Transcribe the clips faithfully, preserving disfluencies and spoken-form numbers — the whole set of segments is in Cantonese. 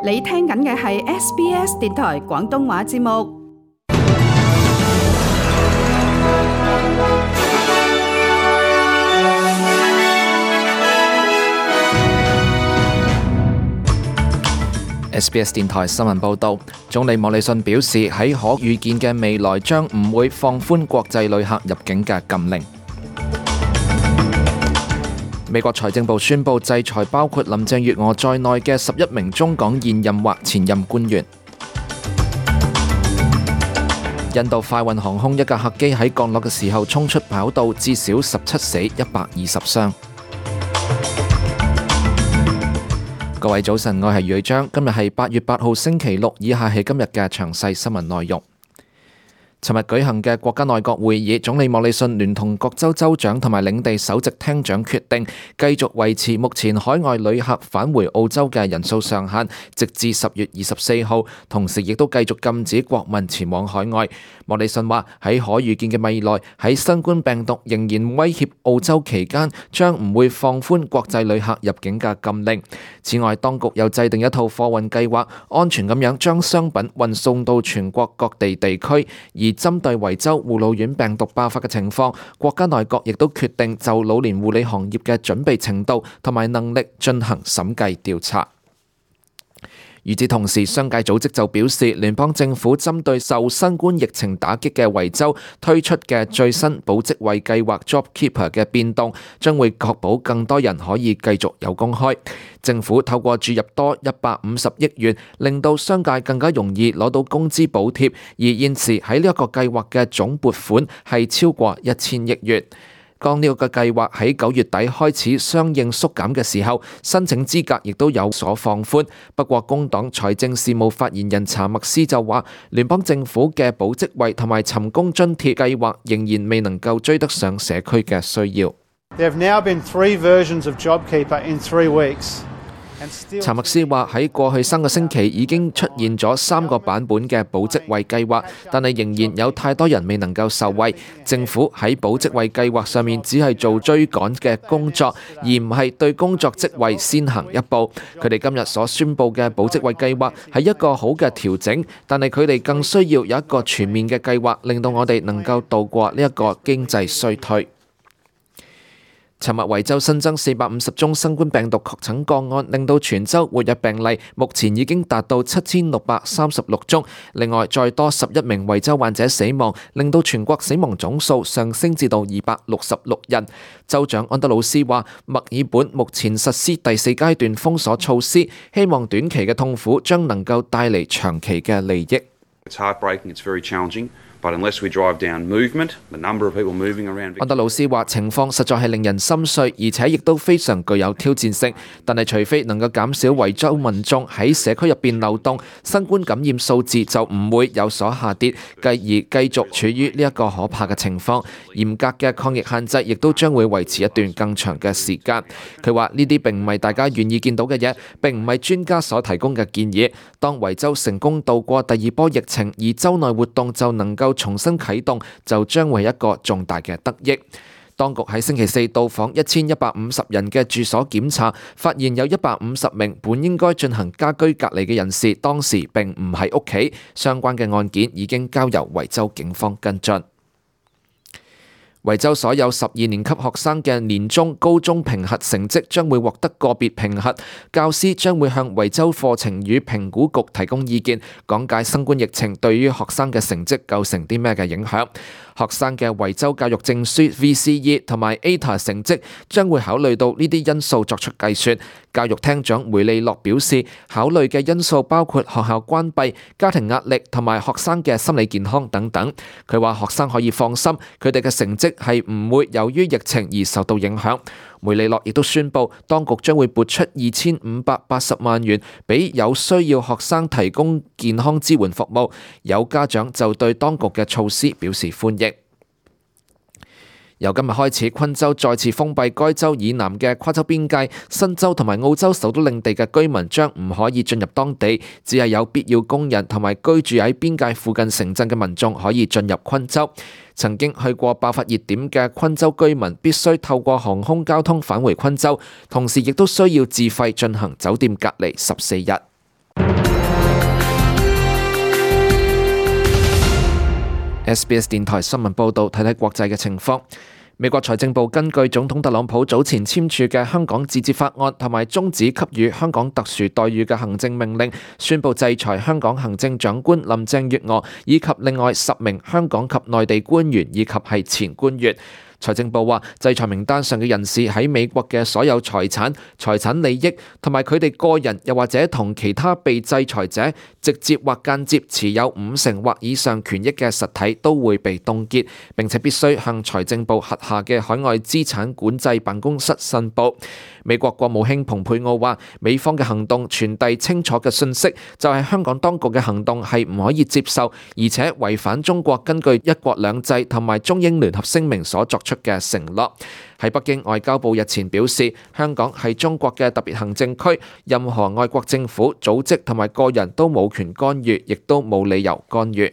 你聽緊嘅係 S B S 電台廣東話節目。S B S 電台新聞報導，總理莫里遜表示喺可預見嘅未來將唔會放寬國際旅客入境嘅禁令。美國財政部宣布制裁包括林鄭月娥在內嘅十一名中港現任或前任官員。印度快運航空一架客機喺降落嘅時候衝出跑道，至少十七死一百二十傷。各位早晨，我係余章，今日係八月八號星期六，以下係今日嘅詳細新聞內容。尋日舉行嘅國家內閣會議，總理莫里遜聯同各州州長同埋領地首席廳長決定，繼續維持目前海外旅客返回澳洲嘅人數上限，直至十月二十四號，同時亦都繼續禁止國民前往海外。莫里遜話喺可預見嘅未來，喺新冠病毒仍然威脅澳洲期間，將唔會放寬國際旅客入境嘅禁令。此外，當局又制定一套貨運計劃，安全咁樣將商品運送到全國各地地區。而針對維州護老院病毒爆發嘅情況，國家內閣亦都決定就老年護理行業嘅準備程度同埋能力進行審計調查。與此同時，商界組織就表示，聯邦政府針對受新冠疫情打擊嘅維州推出嘅最新保職位計劃 JobKeeper 嘅變動，將會確保更多人可以繼續有工開。政府透過注入多一百五十億元，令到商界更加容易攞到工資補貼，而現時喺呢一個計劃嘅總撥款係超過一千億元。當呢個計劃喺九月底開始相應縮減嘅時候，申請資格亦都有所放寬。不過工黨財政事務發言人查默斯就話，聯邦政府嘅保職位同埋尋工津貼計劃仍然未能夠追得上社區嘅需要。There have now been three versions of JobKeeper in three weeks. 查默斯話喺過去三個星期已經出現咗三個版本嘅保職位計劃，但係仍然有太多人未能夠受惠。政府喺保職位計劃上面只係做追趕嘅工作，而唔係對工作職位先行一步。佢哋今日所宣布嘅保職位計劃係一個好嘅調整，但係佢哋更需要有一個全面嘅計劃，令到我哋能夠度過呢一個經濟衰退。尋日維州新增四百五十宗新冠病毒確診個案，令到全州活躍病例目前已經達到七千六百三十六宗。另外，再多十一名維州患者死亡，令到全國死亡總數上升至到二百六十六人。州長安德魯斯話，墨爾本目前實施第四階段封鎖措施，希望短期嘅痛苦將能夠帶嚟長期嘅利益。It's heartbreaking, it's very challenging. But unless we drive down movement, the number of people moving around... 安德魯斯話情況實在係令人心碎，而且亦都非常具有挑戰性。但係除非能夠減少維州民眾喺社區入邊流動，新冠感染數字就唔會有所下跌，繼而繼續處於呢一個可怕嘅情況。嚴格嘅抗疫限制亦都將會維持一段更長嘅時間。佢話呢啲並唔係大家願意見到嘅嘢，並唔係專家所提供嘅建議。當維州成功度過第二波疫情，而州內活動就能夠重新啟動，就將會係一個重大嘅得益。當局喺星期四到訪一千一百五十人嘅住所檢查，發現有一百五十名本應該進行家居隔離嘅人士，當時並唔喺屋企。相關嘅案件已經交由維州警方跟進。維州所有十二年級學生嘅年中、高中評核成績將會獲得個別評核，教師將會向維州課程與評估局提供意見，講解新冠疫情對於學生嘅成績構成啲咩嘅影響。學生嘅維州教育證書 V C E 同埋 A T A 成績將會考慮到呢啲因素作出計算。教育廳長梅利諾表示，考慮嘅因素包括學校關閉、家庭壓力同埋學生嘅心理健康等等。佢話學生可以放心，佢哋嘅成績係唔會由於疫情而受到影響。梅利諾亦都宣布，當局將會撥出二千五百八十萬元俾有需要學生提供健康支援服務。有家長就對當局嘅措施表示歡迎。由今日開始，昆州再次封閉該州以南嘅跨州邊界，新州同埋澳洲首都領地嘅居民將唔可以進入當地，只係有必要工人同埋居住喺邊界附近城鎮嘅民眾可以進入昆州。曾經去過爆發熱點嘅昆州居民必須透過航空交通返回昆州，同時亦都需要自費進行酒店隔離十四日。S B S 電台新聞報導，睇睇國際嘅情況。美國財政部根據總統特朗普早前簽署嘅香港自治法案同埋終止給予香港特殊待遇嘅行政命令，宣布制裁香港行政長官林鄭月娥以及另外十名香港及內地官員以及係前官員。財政部話，制裁名單上嘅人士喺美國嘅所有財產、財產利益同埋佢哋個人，又或者同其他被制裁者直接或間接持有五成或以上權益嘅實體都會被凍結，並且必須向財政部轄下嘅海外資產管制辦公室申報。美國國務卿蓬佩奧話，美方嘅行動傳遞清楚嘅訊息，就係香港當局嘅行動係唔可以接受，而且違反中國根據一國兩制同埋中英聯合聲明所作出嘅承諾。喺北京，外交部日前表示，香港係中國嘅特別行政區，任何外國政府、組織同埋個人都冇權干預，亦都冇理由干預。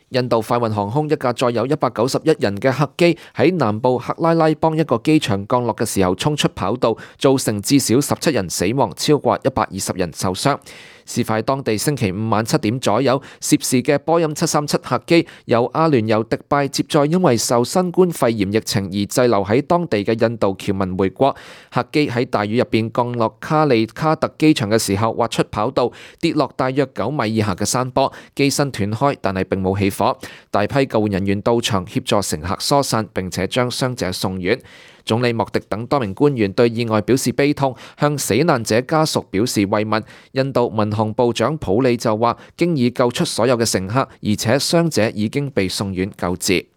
印度快運航空一架載有一百九十一人嘅客機喺南部克拉拉邦一個機場降落嘅時候衝出跑道，造成至少十七人死亡，超過一百二十人受傷。事發當地星期五晚七點左右，涉事嘅波音七三七客機由阿聯酋迪拜接載因為受新冠肺炎疫情而滯留喺當地嘅印度僑民回國。客機喺大雨入邊降落卡利卡特機場嘅時候滑出跑道，跌落大約九米以下嘅山坡，機身斷開，但係並冇起火。大批救援人員到場協助乘客疏散，並且將傷者送院。總理莫迪等多名官員對意外表示悲痛，向死難者家屬表示慰問。印度民航部長普里就話，經已救出所有嘅乘客，而且傷者已經被送院救治。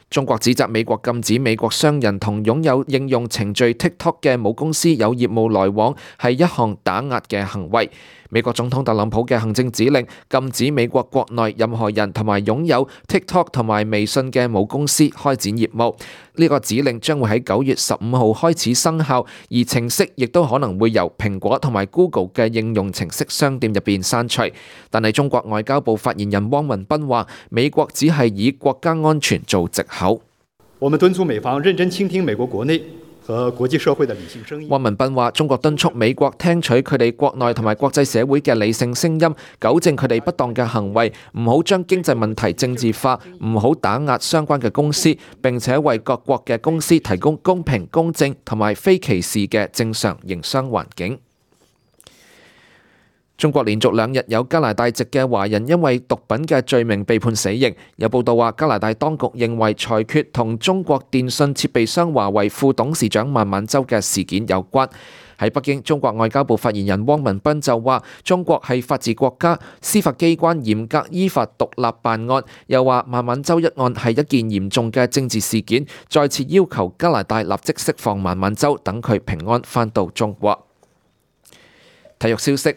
中國指責美國禁止美國商人同擁有應用程序 TikTok 嘅母公司有業務來往，係一項打壓嘅行為。美國總統特朗普嘅行政指令禁止美國國內任何人同埋擁有 TikTok 同埋微信嘅母公司開展業務。呢個指令將會喺九月十五號開始生效，而程式亦都可能會由蘋果同埋 Google 嘅應用程式商店入邊刪除。但係中國外交部發言人汪文斌話，美國只係以國家安全做藉口。我們敦促美方認真傾聽美國國內和國際社會的理性聲音。汪文斌話，中國敦促美國聽取佢哋國內同埋國際社會嘅理性聲音，糾正佢哋不當嘅行為，唔好將經濟問題政治化，唔好打壓相關嘅公司，並且為各國嘅公司提供公平、公正同埋非歧視嘅正常營商環境。中國連續兩日有加拿大籍嘅華人因為毒品嘅罪名被判死刑。有報道話，加拿大當局認為裁決同中國電信設備商華為副董事長孟晚舟嘅事件有關。喺北京，中國外交部發言人汪文斌就話，中國係法治國家，司法機關嚴格依法獨立辦案。又話孟晚舟一案係一件嚴重嘅政治事件，再次要求加拿大立即釋放孟晚舟，等佢平安返到中國。體育消息。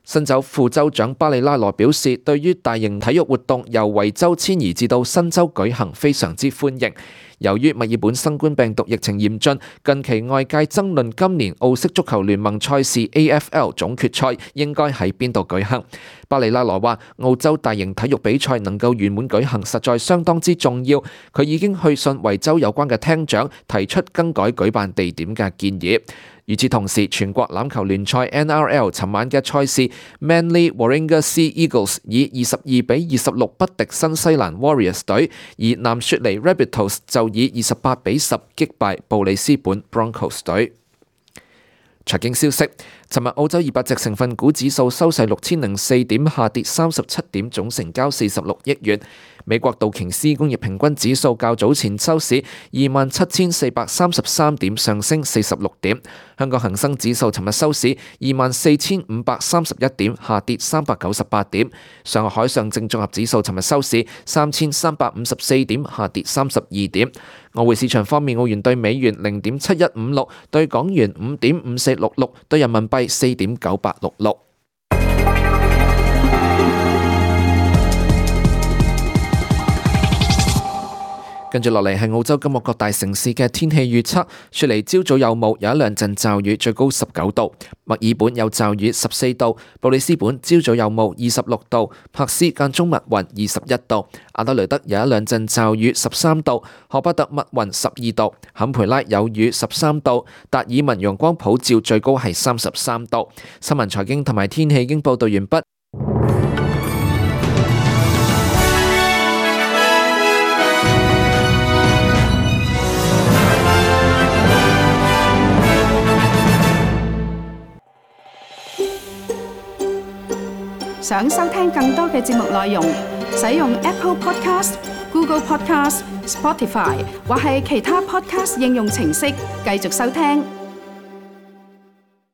新州副州長巴里拉羅表示，對於大型體育活動由維州遷移至到新州舉行非常之歡迎。由於墨爾本新冠病毒疫情嚴峻，近期外界爭論今年澳式足球聯盟賽事 A F L 總決賽應該喺邊度舉行。巴里拉羅話，澳洲大型體育比賽能夠圓滿舉行，實在相當之重要。佢已經去信維州有關嘅廳長，提出更改舉辦地點嘅建議。與此同時，全國欖球聯賽 N R L 尋晚嘅賽事 Manly Warringah Sea Eagles 以二十二比二十六不敵新西蘭 Warriors 隊，而南雪梨 Rabbitohs 就以二十八比十擊敗布里斯本 Broncos 隊。財經消息，尋日澳洲二百隻成分股指數收市六千零四點，下跌三十七點，總成交四十六億元。美國道瓊斯工業平均指數較早前收市二萬七千四百三十三點，上升四十六點。香港恒生指數尋日收市二萬四千五百三十一點，下跌三百九十八點。上海上證綜合指數尋日收市三千三百五十四點，下跌三十二點。外匯市場方面，澳元對美元零點七一五六，對港元五點五四六六，對人民幣四點九八六六。跟住落嚟係澳洲今日各大城市嘅天氣預測。雪梨朝早有霧，有一兩陣驟雨，最高十九度；墨爾本有驟雨，十四度；布里斯本朝早有霧，二十六度；珀斯間中密雲，二十一度；阿德雷德有一兩陣驟雨，十三度；荷巴特密雲，十二度；坎培拉有雨，十三度；達爾文陽光普照，最高係三十三度。新聞財經同埋天氣已經報道完畢。想收聽更多嘅節目內容，使用 Apple Podcast、Google Podcast、Spotify 或係其他 Podcast 應用程式繼續收聽。